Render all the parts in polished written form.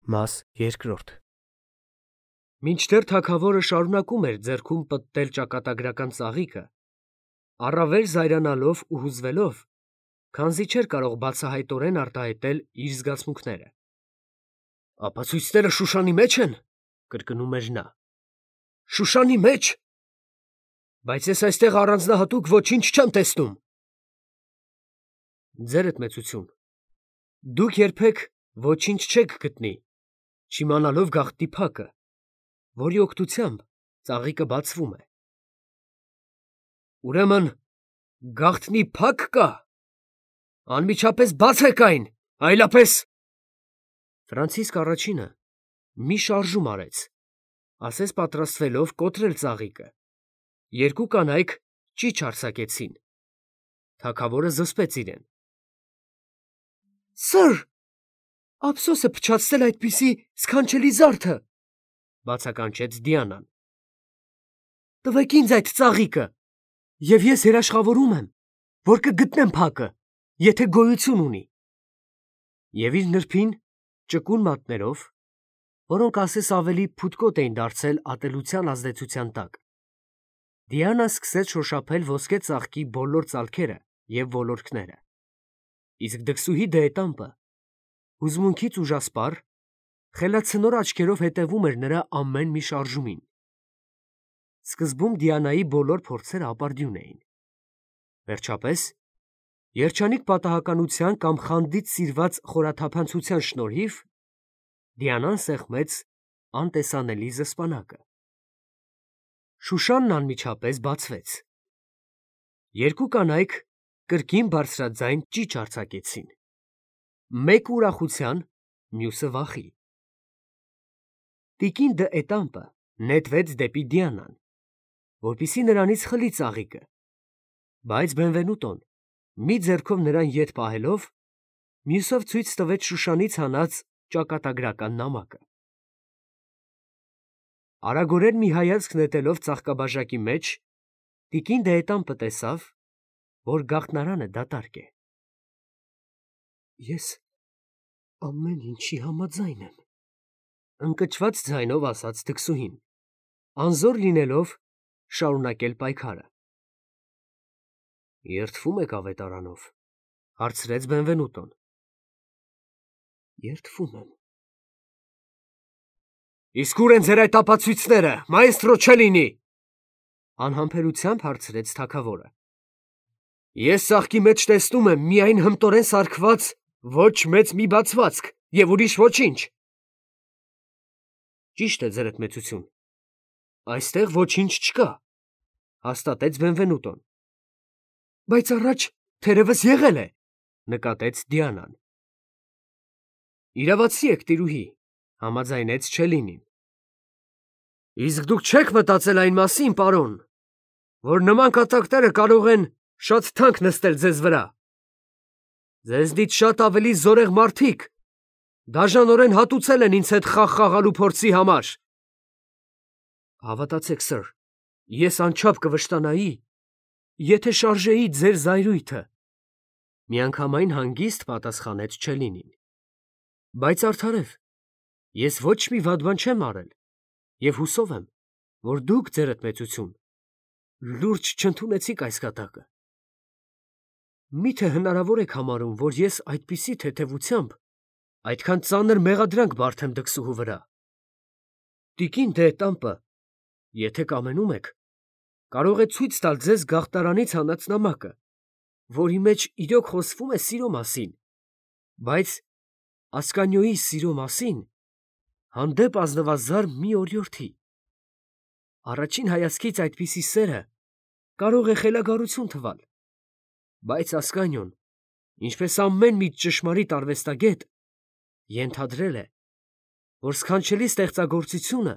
Մաս երկրորդ Մինչդեռ թագավորը շարունակում էր ձեռքում պտտել ճակատագրական ծաղիկը, առավել զայրանալով ու հուզվելով, քանզի չէր կարող բացահայտորեն արտահայտել իր զգացմունքները։ «Ապացույցները Շուշանի մեջ են», կրկնում էր նա։ «Շուշանի մեջ։ Բայց ես այստեղ առանձնահատուկ ոչինչ չեմ տեսնում»։ Ձերդ մեծություն, դուք երբեք ոչինչ չեք գտնի, չիմանալով գաղտնի փակը, որի օգնությամբ ծաղիկը բացվում է։ Ուրեմն գաղտնի փակ կա։ Անմիջապես բացեք այն, այլապես… Ֆրանցիսկ առաջինը մի շարժում արեց, ասես պատրաստվելով կոտրել ծաղիկը։ Երկու կանայք ճիչ արձակեցին։ Թագավորը զսպեց իրեն։ Սըր, ափսոս է փչացնել այդպիսի սքանչելի զարդը, բացականչեց Դիանան։ Տվեք ինձ այդ ծաղիկը, և ես երաշխավորում եմ, որ կգտնեմ փակը, եթե գոյություն ունի։ Եվ իր նրբին, ճկուն մատներով, որոնք ասես ավելի փութկոտ էին դարձել ատելության ազդեցության տակ, Դիանան սկսեց շոշափել ոսկե ծաղկի բոլոր ծալքերը և ոլորքները, իսկ դքսուհի դեետամպը, հուզմունքից ուժասպառ, խելացնոր աչքերով հետևում էր նրա ամեն մի շարժումին։ Սկզբում Դիանայի բոլոր փորձերը ապարդյուն էին։ Վերջապես, երջանիկ պատահականության կամ խանդից սիրված խորաթափանցության շնորհիվ, Դիանան սեղմեց անտեսանելի զսպանակը։ Շուշանն անմիջապես բացվեց։ Երկու կանայք կրկին բարձրաձայն ճիչ արձակեցին։ Մեկը ուրախության, մյուսը վախի։ Տիկին դ'Ետամպը նետվեց դեպի Դիանան, որպեսզի նրանից խլի ծաղիկը, բայց Բենվենուտոն, մի ձեռքով նրան ետ պահելով, մյուսով ցույց տվեց Շուշանից հանած ճակատագրական նամակը։ Արագորեն մի հայացք նետելով ծաղկաբաժակի մեջ, տիկին դ'Ետամպը տեսավ, որ գաղտնարանը դատարկ է։ Ես ամեն ինչի համաձայն եմ, ընկճված ձայնով ասաց դքսուհին, անզոր լինելով շարունակել պայքարը։ Երդվում եք ավետարանով, հարցրեց Բենվենուտոն։ Երդվում եմ։ Իսկ ուր են ձեր այդ ապացույցները, մայստրո Չելինի, անհամբերությամբ հարցրեց թագավորը։ Ես ծաղկի մեջ տեսնում եմ միայն հմտորեն սարքված ոչ մեծ մի բացվածք և ուրիշ ոչինչ։ Ճիշտ է, ձերդ մեծություն, այստեղ ոչինչ չկա, հաստատեց Բենվենուտոն։ Բայց առաջ թերևս եղել է, նկատեց Դիանան։ Իրավացի եք, տիրուհի, համաձայնեց Չելինին։ Իսկ դուք չեք մտածել այն մասին, պարոն, որ նման կատակները կարող են շատ թանկ նստել ձեզ վրա։ Ձեզնից շատ ավելի զորեղ մարդիկ դաժանորեն հատուցել են ինձ հետ խաղ խաղալու փորձի համար։ Հավատացեք, սըր, ես անչափ կվշտանայի, եթե շարժեի ձեր զայրույթը, միանգամայն հանգիստ պատասխանեց Չելինին։ Բայց արդարև, ես ոչ մի վատ բան չեմ արել և հուսով եմ, որ դուք, ձերդ մեծություն, լուրջ չընդունեցիք այս կատակը։ Մի՞թե հնարավոր եք համարում, որ ես այդպիսի թեթևությամբ այդքան ծանր մեղադրանք բարդեմ դքսուհու վրա։ Տիկին դ'Ետամպը, եթե կամենում եք, կարող է ցույց տալ ձեզ գաղտնարանից հանած նամակը, որի մեջ իրոք խոսվում է սիրո մասին, բայց Ասկանիոյի սիրո մասին հանդեպ ազնվազար մի օրիորդի։ Առաջին հայացքից այդպիսի սերը կարող է խելագարություն թվալ, բայց Ասկանիոն, ինչպես ամեն մի ճշմարիտ արվեստագետ, ենթադրել է, որ սքանչելի ստեղծագործությունը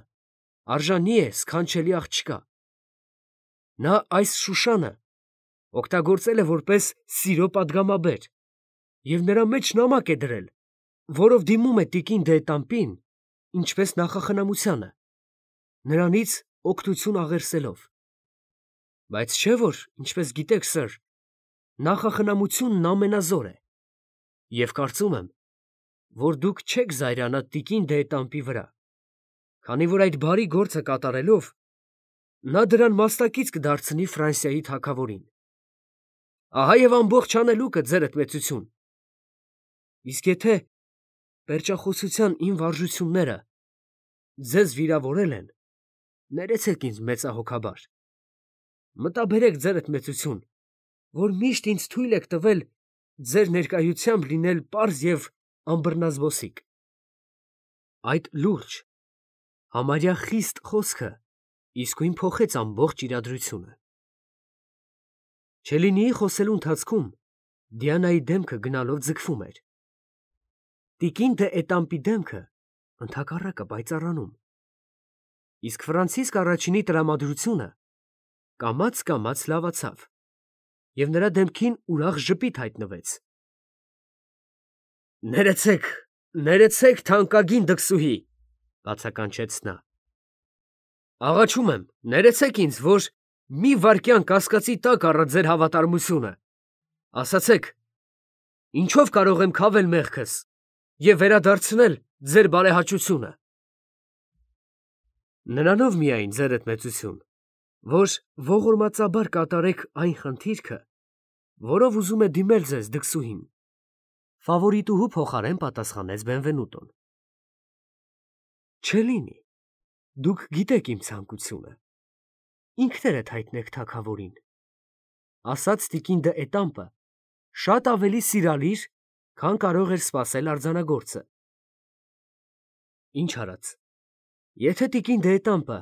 արժանի է սքանչելի աղջկա։ Նա այս Շուշանը օգտագործել է որպես սիրո պատգամաբեր և նրա մեջ նամակ է դրել, որով դիմում է տիկին դ'Ետամպին, ինչպես նախախնամությանը, նրանից օգնություն աղերսելով։ Բայց չէ՞ որ, ինչպես գիտեք, սըր, նախախնամությունն ամենազոր է, և կարծում եմ, որ դուք չեք զայրանա տիկին Դեետամպի վրա, քանի որ այդ բարի գործը կատարելով նա դրան մասնակից կդարձնի Ֆրանսիայի թագավորին։ Ահա եւ ամբողջ անելուկը ձերդ մեծություն։ Իսկ եթե պերճախոսության իմ վարժությունները ձեզ վիրավորել են, ներեցեք ինձ մեծահոգաբար։ Մտաբերեք ձերդ մեծություն, որ միշտ ինձ թույլ եք տվել ձեր ներկայությամբ լինել պարզ եւ անբռնազբոսիկ։ Այդ լուրջ, համարյա խիստ խոսքը իսկույն փոխեց ամբողջ իրադրությունը։ Չելինիի խոսելու ընթացքում Դիանայի դեմքը գնալով ձգվում էր։ Տիկին Դ'Ետամպի դեմքը ընդհակառակը պայծառանում։ Իսկ Ֆրանցիսկ առաջինի տրամադրությունը կամաց լավացավ, եւ նրա դեմքին ուրախ ժպիտ հայտնվեց։ Ներեցեք, թանկագին դքսուհի, բացականչեց նա։ Աղաչում եմ, ներեցեք ինձ, որ մի վայրկյան կասկածի տակ առա ձեր հավատարմությունը։ Ասացեք, ինչով կարող եմ քավել մեղքս եւ վերադարձնել ձեր բարեհաճությունը։ Նրանով միայն, ձերդ մեծություն, որ ողորմածաբար կատարեք այն խնդիրքը, որով ուզում է դիմել ձեզ դքսուհին, ֆավորիտուհու փոխարեն պատասխանեց Բենվենուտոն։ Չելինի, դուք գիտեք իմ ցանկությունը, ինքներդ հայտնեք թագավորին, ասաց տիկին Դ'Ետամպը շատ ավելի սիրալիր, քան կարող էր սպասել արձանագործը։ Ինչ արած, եթե տիկին Դ'Ետամպը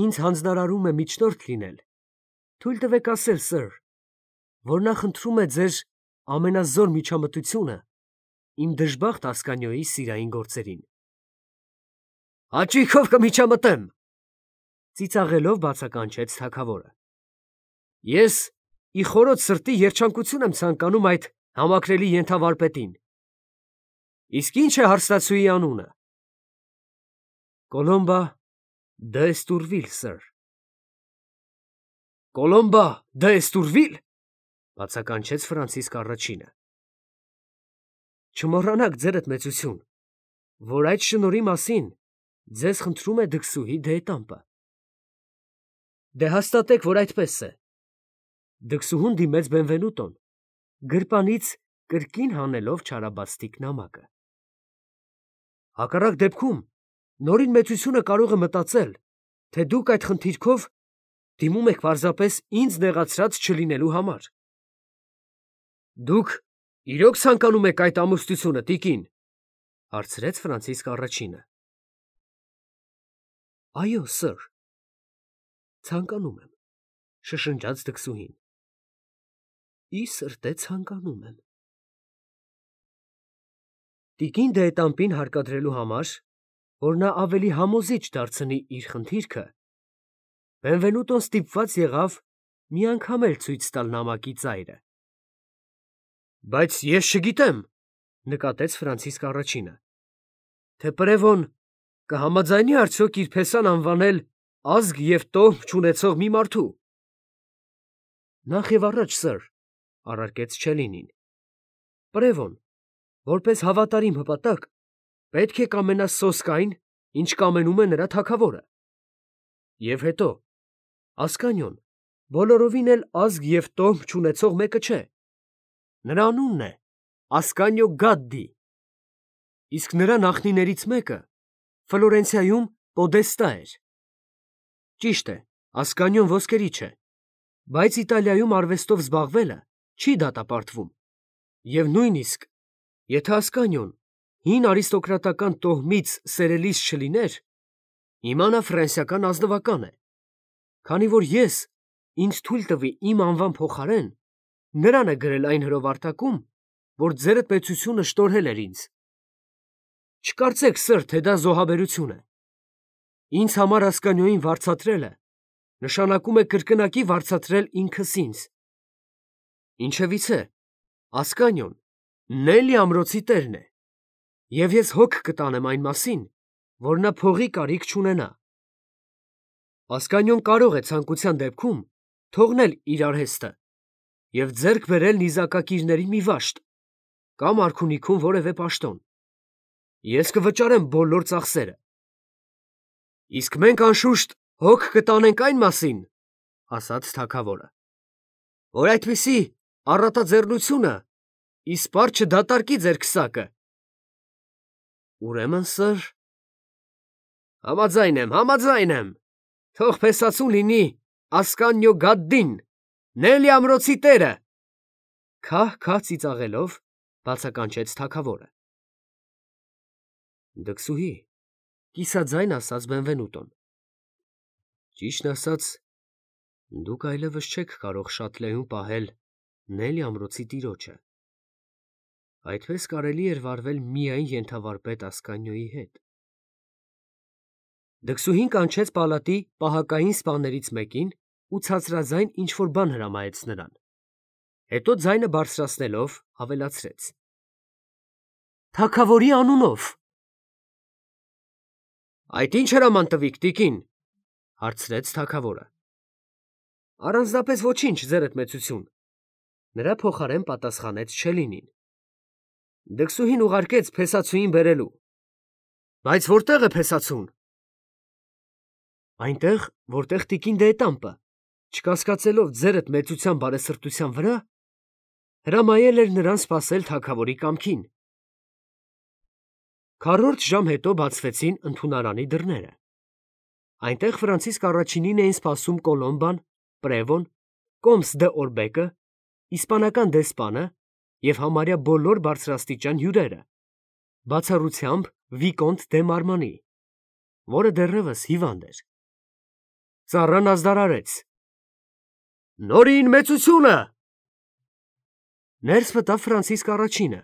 ինձ հանձնարարում է միջնորդ լինել, թույլ տվեք ասել, սըր, որ նա խնդրում է ձեր ամենազոր միջամտությունը իմ դժբախտ Ասկանիոյի սիրային գործերին։ Հաճույքով կմիջամտեմ, ծիծաղելով բացականչեց թագավորը։ Ես ի խորոց սրտի երջանկություն եմ ցանկանում այդ համակրելի ենթավարպետին։ Իսկ ինչ է հարստացուի անունը։ Կոլոմբա դ'Եստուրվիլ, սըր։ Կոլոմբա դ'Եստուրվիլ, բացականչեց Ֆրանցիսկ առաջինը։ Չմոռանաք, ձերդ մեծություն, որ այդ շնորհի մասին ձեզ խնդրում է դքսուհի Դ'Ետամպը։ Դե հաստատեք, որ այդպես է։ Դքսուհուն դիմեց Բենվենուտոն, գրպանից կրկին հանելով չարաբաստիկ նամակը։ Հակառակ դեպքում նորին մեծությունը կարող է մտածել, թե դուք այդ խնդիրքով դիմում եք պարզապես ինձ նեղացրած չլինելու համար։ Դուք իրոք ցանկանում եք այդ ամուսնությունը, տիկին, հարցրեց Ֆրանցիսկ առաջինը։ Այո, սըր, ցանկանում եմ, շշնջաց դքսուհին։ Ի սրտե ցանկանում եմ։ Տիկին Դ'Ետամպին հարկադրելու համար, որ նա ավելի համոզիչ դարձնի իր խնդիրքը, Բենվենուտոն ստիպված եղավ մի անգամ էլ ցույց տալ նամակի ծայրը։ Բայց ես չգիտեմ, նկատեց Ֆրանցիսկ առաջինը, թե Պրևոն կհամաձայնի արդյոք իր փեսան անվանել ազգ եւ տոհմ չունեցող մի մարդու։ Նախ եւ առաջ, սըր, առարկեց Չելինին, Պրևոն, որպես հավատարիմ հպատակ, պետք է կամենա սոսկ այն, ինչ կամենում է նրա թագավորը։ Եվ հետո, Ասկանիոն բոլորովին էլ ազգ եւ տոհմ չունեցող մեկը չէ։ Նրա անունն է Ասկանիո Գադդի, իսկ նրա նախնիներից մեկը Ֆլորենցիայում պոդեստա էր։ Ճիշտ է, Ասկանիոն ոսկերիչ է, բայց Իտալիայում արվեստով զբաղվելը չի դատապարտվում, եւ նույնիսկ եթե Ասկանիոն հին արիստոկրատական տոհմից սերելիս չլիներ, հիմա նա ֆրանսիական ազնվական է, քանի որ ես ինձ թույլ տվի իմ անվան փոխարեն նրան է գրել այն հրովարտակում, որ ձերդ մեծությունը շտորհել էր ինձ։ Չկարծեք, սըր, թե դա զոհաբերություն է։ Ինձ համար Ասկանիոյին վարձատրելը նշանակում է կրկնակի վարձատրել ինքս ինձ։ Ինչևիցե, Ասկանիոն Նելի ամրոցի տերն է, եւ ես հոգ կտանեմ այն մասին, որ նա փողի կարիք չունենա։ Ասկանիոն կարող է ցանկության դեպքում թողնել իր արհեստը եւ ձեռք բերել նիզակակիրների մի վաշտ կամ արքունիքում որևէ պաշտոն։ ես կվճարեմ բոլոր ծախսերը։ Իսկ մենք անշուշտ հոգ կտանենք այն մասին, ասաց թագավորը, որ այդպիսի առատաձեռնությունը իսպառ չդատարկի ձեր քսակը։ Ուրեմն, սըր, համաձայն եմ, թող փեսացուն լինի Ասկանյո Գադդին, Նելի ամրոցի տերը, քահ ծիծաղելով բացականչեց թագավորը։ Դքսուհի, կիսաձայն ասաց Բենվենուտոն, ճիշտն ասած, դուք այլևս չեք կարող շատ լեհուն պահել Նելի ամրոցի տիրոջը։ Այդպես կարելի էր վարվել միայն ենթավարպետ Ասկանյոյի հետ։ Դքսուհին կանչեց պալատի պահակային սպաներից մեկին ու ցածրաձայն ինչ-որ բան հրամայեց նրան։ Հետո ձայնը բարձրացնելով ավելացրեց. Թագավորի անունով։ Այդ ինչ հրաման տվիք, տիկին, հարցրեց թագավորը։ Առանձնապես ոչինչ, ձերդ մեծություն, նրա փոխարեն պատասխանեց Չելինին։ Դքսուհին ուղարկեց փեսացուին բերելու։ Բայց որտեղ է փեսացուն։ Այնտեղ, որտեղ տիկին դեետամպը, չկասկածելով ձերդ մեծության բարեսրտության վրա, հրամայել էր նրան սպասել թագավորի կամքին։ Քառորդ ժամ հետո բացվեցին ընդունարանի դռները։ Այնտեղ Ֆրանցիսկ առաջինին էին սպասում Կոլոմբան, Պրևոն, Կոմս դե Օրբեկը, իսպանական դեսպանը և համարյա բոլոր բարձրաստիճան հյուրերը, բացառությամբ Վիկոնտ դե Մարմանի, որը դեռևս հիվանդ էր։ Ծառան ազդարարեց. Նորին մեծությունը։ Ներս մտավ Ֆրանցիսկ առաջինը,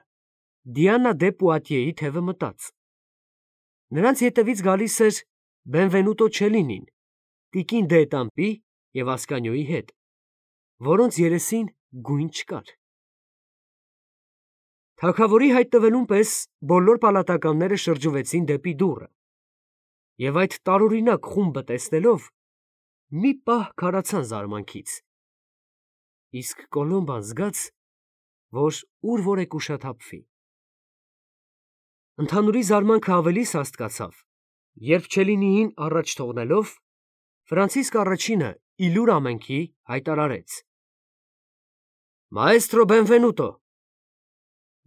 Դիանա դե Պուատիեի թևը մտած։ Նրանց ետևից գալիս էր Բենվենուտո Չելինին, տիկին դեետամպի և Ասկանյոյի հետ, որոնց երեսին գույն չկար։ Թագավորի հայտնվելուն պես բոլոր պալատականները շրջվեցին դեպի դուռը, և այդ տարօրինակ խումբը տեսնելով, մի պահ քարացան զարմանքից, իսկ Կոլոմբան զգաց, որ ուր որ է կուշաթափվի։ Ընդհանուրի զարմանքը ավելի սաստկացավ, երբ Չելինիին առաջ թողնելով, Ֆրանցիսկ առաջինը իլուր ամենքի հայտարարեց. Մաեստրո Բենվենուտո,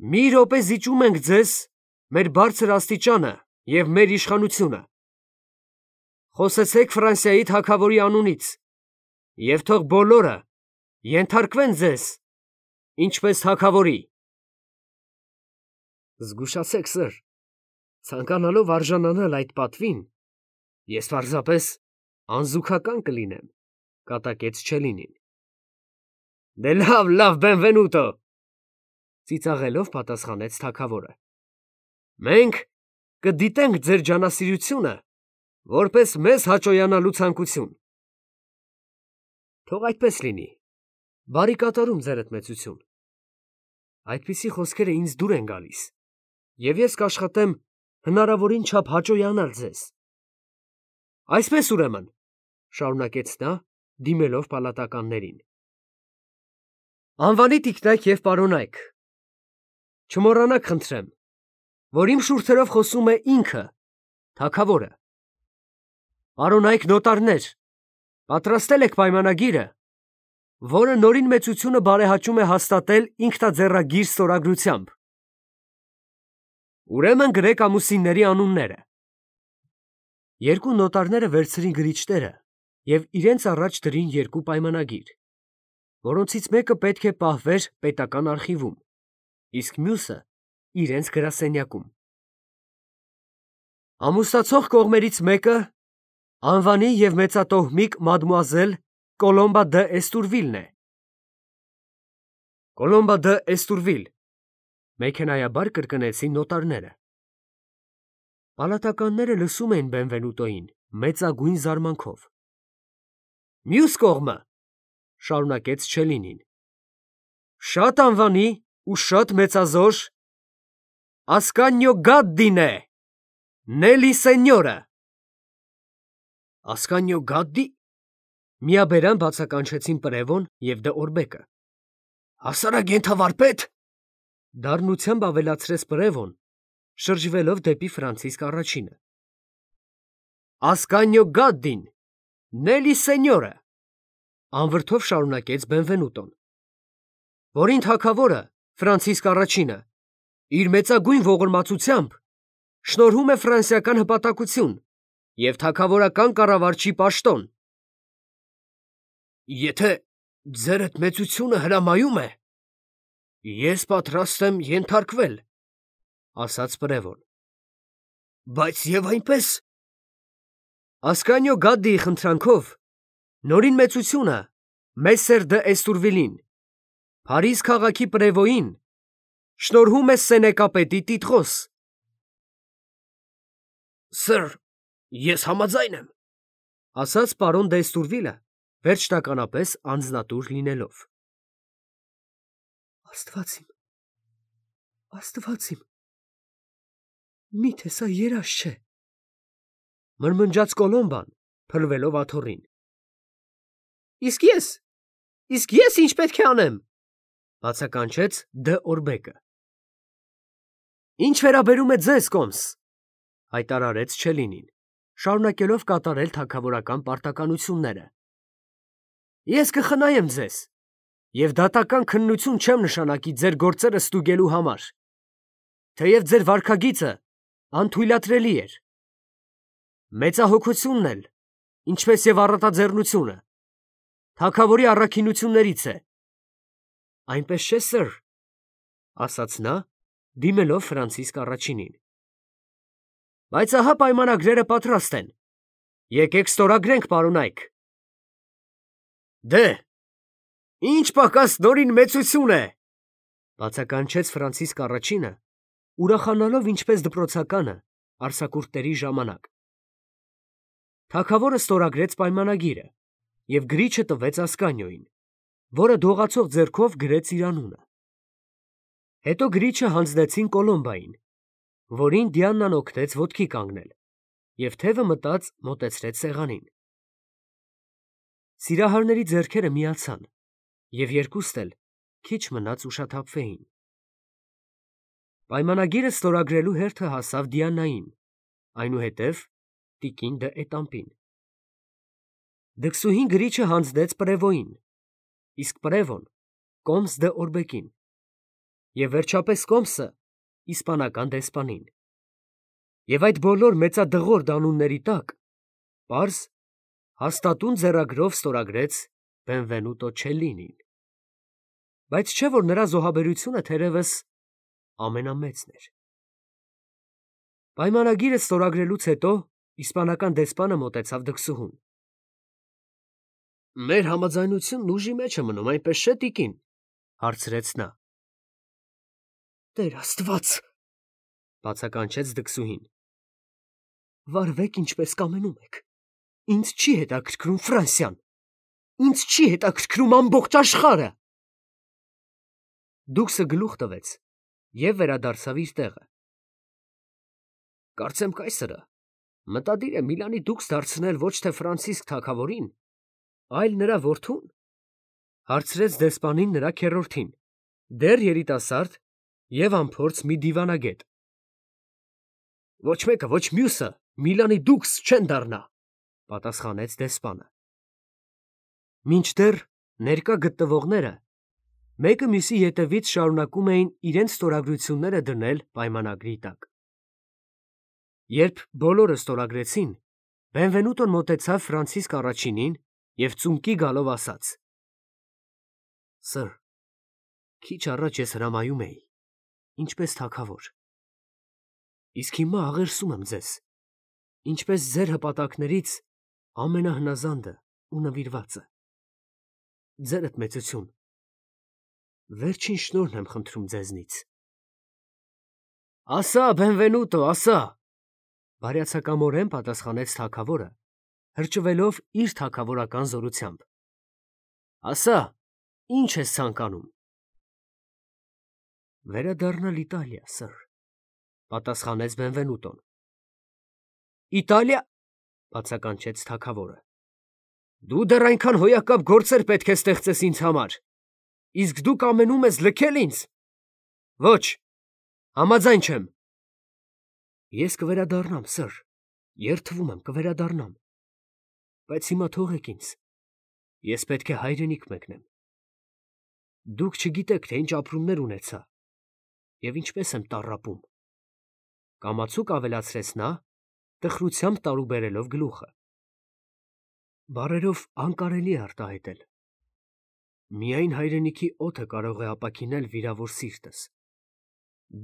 մի րոպե զիջում ենք ձեզ մեր բարձր աստիճանը և մեր իշխանությունը։ Խոսեցեք Ֆրանսիայի թագավորի անունից, և թող բոլորը ենթարկվեն ձեզ, ինչպես թագավորի։ Զգուշացեք, սըր, ցանկանալով արժանանալ այդ պատվին, ես պարզապես անզուգական կլինեմ, կատակեց Չելինին։ Դե լավ, Բենվենուտո, ծիծաղելով պատասխանեց թագավորը։ Մենք կդիտենք ձեր ջանասիրությունը, որպես մեզ հաճոյանալու ցանկություն։ Թող այդպես լինի, բարի կատարում, ձերդ մեծություն։ Այդպիսի խոսքերը ինձ դուր են գալիս, և ես կաշխատեմ հնարավորին չափ հաճոյանալ ձեզ։ Այսպես ուրեմն, շարունակեց նա, դիմելով պալատականներին։ Անվանի տիկնայք և պարոնայք, չմոռանաք խնդրեմ, որ իմ շուրթերով խոսում է ինքը, թագավորը։ Պարոնայք նոտարներ, պատրաստել եք պայմանագիրը, որը նորին մեծությունը բարեհաճում է հաստատել ինքնաձեռագիր ստորագրությամբ։ Ուրեմն գրեք ամուսինների անունները։ Երկու նոտարները վերցրին գրիչները և իրենց առաջ դրին երկու պայմանագիր, որոնցից մեկը պետք է պահվեր պետական արխիվում, իսկ մյուսը իրենց գրասենյակում։ Ամուսնացող կողմերից մեկը անվանի և մեծատոհմիկ մադմուազել Կոլոմբա դը Էստուրվիլն է։ Կոլոմբա դը Էստուրվիլ, մեքենայաբար կրկնեցին նոտարները։ Պալատականները լսում էին Բենվենուտոյին մեծագույն զարմանքով։ Մյուս կողմը, շարունակեց Չելինին, շատ անվանի ու շատ մեծազոր Ասկանյո Գադդին է, Նելի սենյորը։ Ասկանյո Գադդի, միաբերան բացականչեցին Պրևոն և դե Օրբեկը։ Հասարակ ենթավարպետ, դառնությամբ ավելացրեց Պրևոն, շրջվելով դեպի Ֆրանցիսկ առաջինը։ Ասկանյո գադդին, նելի սենյորը, անվրդով շարունակեց Բենվենուտոն, որին թագավորը Ֆրանցիսկ առաջինը իր մեծագույն ողորմածությամբ շնորհում է ֆրանսիական հպատակություն և թագավորական կառավարչի պաշտոն։ Եթե ձերդ մեծությունը հրամայում է, ես պատրաստ եմ ենթարկվել, ասաց պրևոն։ Բայց և այնպես… Ասկանյո գադդիի խնդրանքով նորին մեծությունը Մեսսեր դը Էստուրվիլին, Փարիզ քաղաքի պրևոյին, շնորհում է սենեկապետի տիտղոս։ Սըր, ես համաձայն եմ, ասաց պարոն դը Էստուրվիլը, վերջնականապես անձնատուր լինելով։ Աստված իմ, միթե սա երազ չէ, մրմնջաց Կոլոմբան, փլվելով աթոռին։ Իսկ ես ինչ պետք է անեմ, բացականչեց դը Օրբեկը։ Ինչ վերաբերում է ձեզ, կոմս, հայտարարեց Չելինին, շարունակելով կատարել թագավորական պարտականությունները։ Ես կխնայեմ ձեզ և դատական քննություն չեմ նշանակի ձեր գործերը ստուգելու համար, թեև ձեր վարքագիծը անթույլատրելի էր։ Մեծահոգությունն էլ, ինչպես և առատաձեռնությունը, թագավորի առաքինություններից է։ Այնպես չէ, սըր, ասաց նա, դիմելով Ֆրանցիսկ առաջինին։ Բայց ահա պայմանագրերը պատրաստ են, եկեք ստորագրենք, պարոնայք։ Դե, ինչ պակաս նորին մեծություն է, բացականչեց Ֆրանցիսկ առաջինը, ուրախանալով ինչպես դպրոցականը արձակուրդների ժամանակ։ Թագավորը ստորագրեց պայմանագիրը և գրիչը տվեց Ասկանյոյին, որը դողացող ձեռքով գրեց իր անունը։ Հետո գրիչը հանձնեցին Կոլոմբային, որին Դիանան օգնեց ոտքի կանգնել և թևը մտած մոտեցրեց սեղանին։ Սիրահարների ձեռքերը միացան, և երկուստ էլ քիչ մնաց ուշաթափվեին։ Պայմանագիրը ստորագրելու հերթը հասավ Դիանային, այնուհետև տիկին դը Էտամպին։ Դքսուհին գրիչը հանձնեց պրևոյին, իսկ պրևոն կոմս դը Օրբեկին, և վերջապես կոմսը իսպանական դեսպանին։ Եվ այդ բոլոր մեծադղրդյա անունների տակ պարզ, հաստատուն ձեռագրով ստորագրեց Բենվենուտո Չելլինին։ Բայց չէ՞ որ նրա զոհաբերությունը թերևս ամենամեծն էր։ Պայմանագիրը ստորագրելուց հետո իսպանական դեսպանը մոտեցավ դքսուհուն։ Մեր համաձայնությունն ուժի մեջ է մնում, այնպես չէ՞, տիկին, հարցրեց նա։ Տեր Աստված, բացականչեց դքսուհին։ Վարվեք ինչպես կամենում եք։ Ինձ չի հետաքրքրում Ֆրանսիան։ Ինձ չի հետաքրքրում ամբողջ աշխարհը։ Դուքսը գլուխ տվեց և վերադարձավ իր տեղը։ Կարծեմ կայսրը մտադիր է Միլանի դուքս դարձնել ոչ թե Ֆրանցիսկ թագավորին, այլ նրա որդուն, հարցրեց դեսպանին նրա քեռորդին, դեռ երիտասարդ և անփորձ մի դիվանագետ։ Ոչ մեկը, ոչ մյուսը Միլանի դուքս չեն դառնա, պատասխանեց դեսպանը։ Մինչդեռ ներկա գտնվողները մեկը մյուսի ետևից շարունակում էին իրենց ստորագրությունները դնել պայմանագրի տակ։ Երբ բոլորը ստորագրեցին, Բենվենուտոն մոտեցավ Ֆրանցիսկ առաջինին և ծունկի գալով ասաց. Սըր, քիչ առաջ ես հրամայում էի, ինչպես թագավոր։ Իսկ հիմա աղերսում եմ ձեզ, ինչպես ձեր հպատակներից ամենահնազանդը ու նվիրվածը։ Ձերդ մեծություն, վերջին շնորհն եմ խնդրում ձեզնից։ Ասա, Բենվենուտո, ասա, բարյացակամորեն պատասխանեց թագավորը, հրճվելով իր թագավորական զորությամբ։ Ասա, ինչ ես ցանկանում։ Վերադառնալ Իտալիա, սըր, պատասխանեց Բենվենուտոն։ Իտալիա, բացականչեց թագավորը։ Դու դեռ այնքան հոյակապ գործեր պետք է ստեղծես ինձ համար, իսկ դու կամենում ես լքել ինձ։ Ոչ, համաձայն չեմ։ Ես կվերադառնամ, սըր, երդվում եմ, կվերադառնամ, բայց հիմա թողեք ինձ, ես պետք է հայրենիք մեկնեմ։ Դուք չգիտեք, թե ինչ ապրումներ ունեցա և ինչպես եմ տառապում։ Կամացուկ ավելացրեց նա, տխրությամբ տարուբերելով գլուխը։ Բառերով անկարելի է արտահայտել։ Միայն հայրենիքի օդը կարող է ապաքինել վիրավոր սիրտս։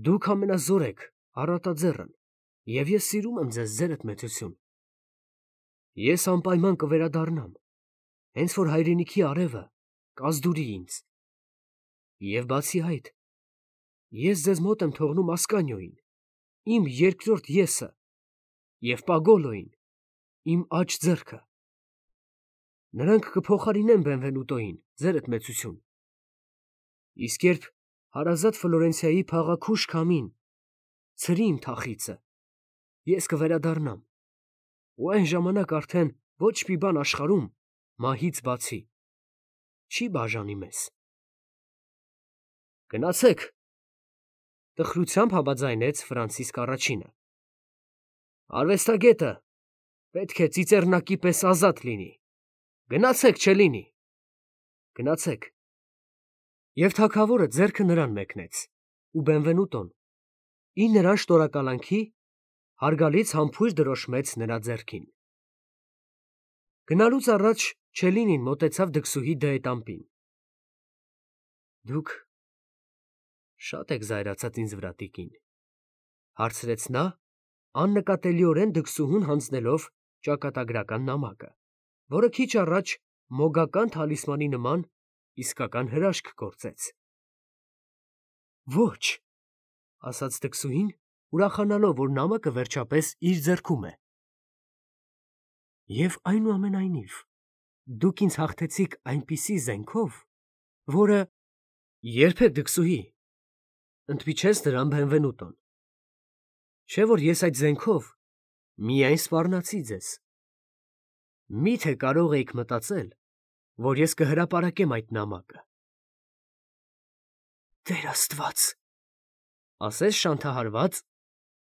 Դուք ամենազոր եք, առատաձեռն, և ես սիրում եմ ձեզ, ձերդ մեծություն։ Ես անպայման կվերադառնամ, հենց որ հայրենիքի արևը կազդուրի ինձ։ Եվ բացի այդ, ես ձեզ մոտ եմ թողնում Ասկանիոյին, իմ երկրորդ եսը, և Պագոլոյին, իմ աջ ձեռքը։ Նրանք կփոխարինեն Բենվենուտոյին, ձերդ մեծություն։ Իսկ երբ հարազատ Ֆլորենցիայի փաղաքուշ քամին ցրի իմ թախիծը, ես կվերադառնամ, ու այն ժամանակ արդեն ոչ մի բան աշխարհում, մահից բացի, չի բաժանի մեզ։ Գնացեք, տխրությամբ համաձայնեց Ֆրանցիսկ առաջինը։ Արվեստագետը պետք է ծիծեռնակի պես ազատ լինի։ Գնացեք, Չելլինի, գնացեք։ Եվ թագավորը ձեռքը նրան մեկնեց, ու Բենվենուտոն, ի նրան շնորհակալանքի, հարգալից համբույր դրոշմեց նրա ձեռքին։ Գնալուց առաջ Չելլինին մոտեցավ դքսուհի դեետամպին։ Դուք շատ եք զայրացած ինձ վրա, տիկին, հարցրեց նա, աննկատելիորեն դքսուհուն հանձնելով ճակատագրական նամակը, որը քիչ առաջ մոգական թալիսմանի նման իսկական հրաշք գործեց։ Ոչ, ասաց դքսուհին, ուրախանալով, որ նամակը վերջապես իր ձեռքում է։ Եվ այնուամենայնիվ, դուք ինձ հաղթեցիք այնպիսի զենքով, որը… Երբեք, դքսուհի, ընդմիջեց նրան Բենվենուտոն։ Չէ՞ որ ես այդ զենքով միայն սպառնացի ձեզ։ Մի՞թե կարող էիք մտածել, որ ես կհրապարակեմ այդ նամակը։ Տեր Աստված, ասես շանթահարված,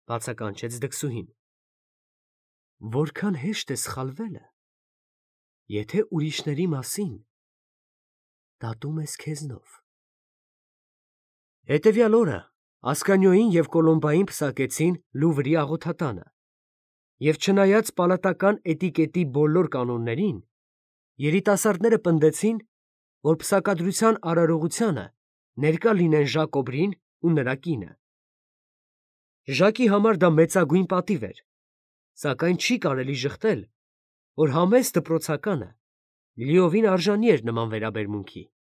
բացականչեց դքսուհին։ Որքան հեշտ է սխալվելը, եթե ուրիշների մասին դատում ես քեզնով։ Հետևյալ օրը Ասկանիոյին և Կոլոմբային պսակեցին Լուվրի աղոթատանը, և չնայած պալատական էտիկետի բոլոր կանոններին, երիտասարդները պնդեցին, որ պսակադրության արարողությանը ներկա լինեն Ժակ Օբրին ու նրա կինը։ Ժակի համար դա մեծագույն պատիվ էր, սակայն չի կարելի ժխտել, որ համեստ դպրոցականը լիովին արժանի էր նման վերաբերմունքի։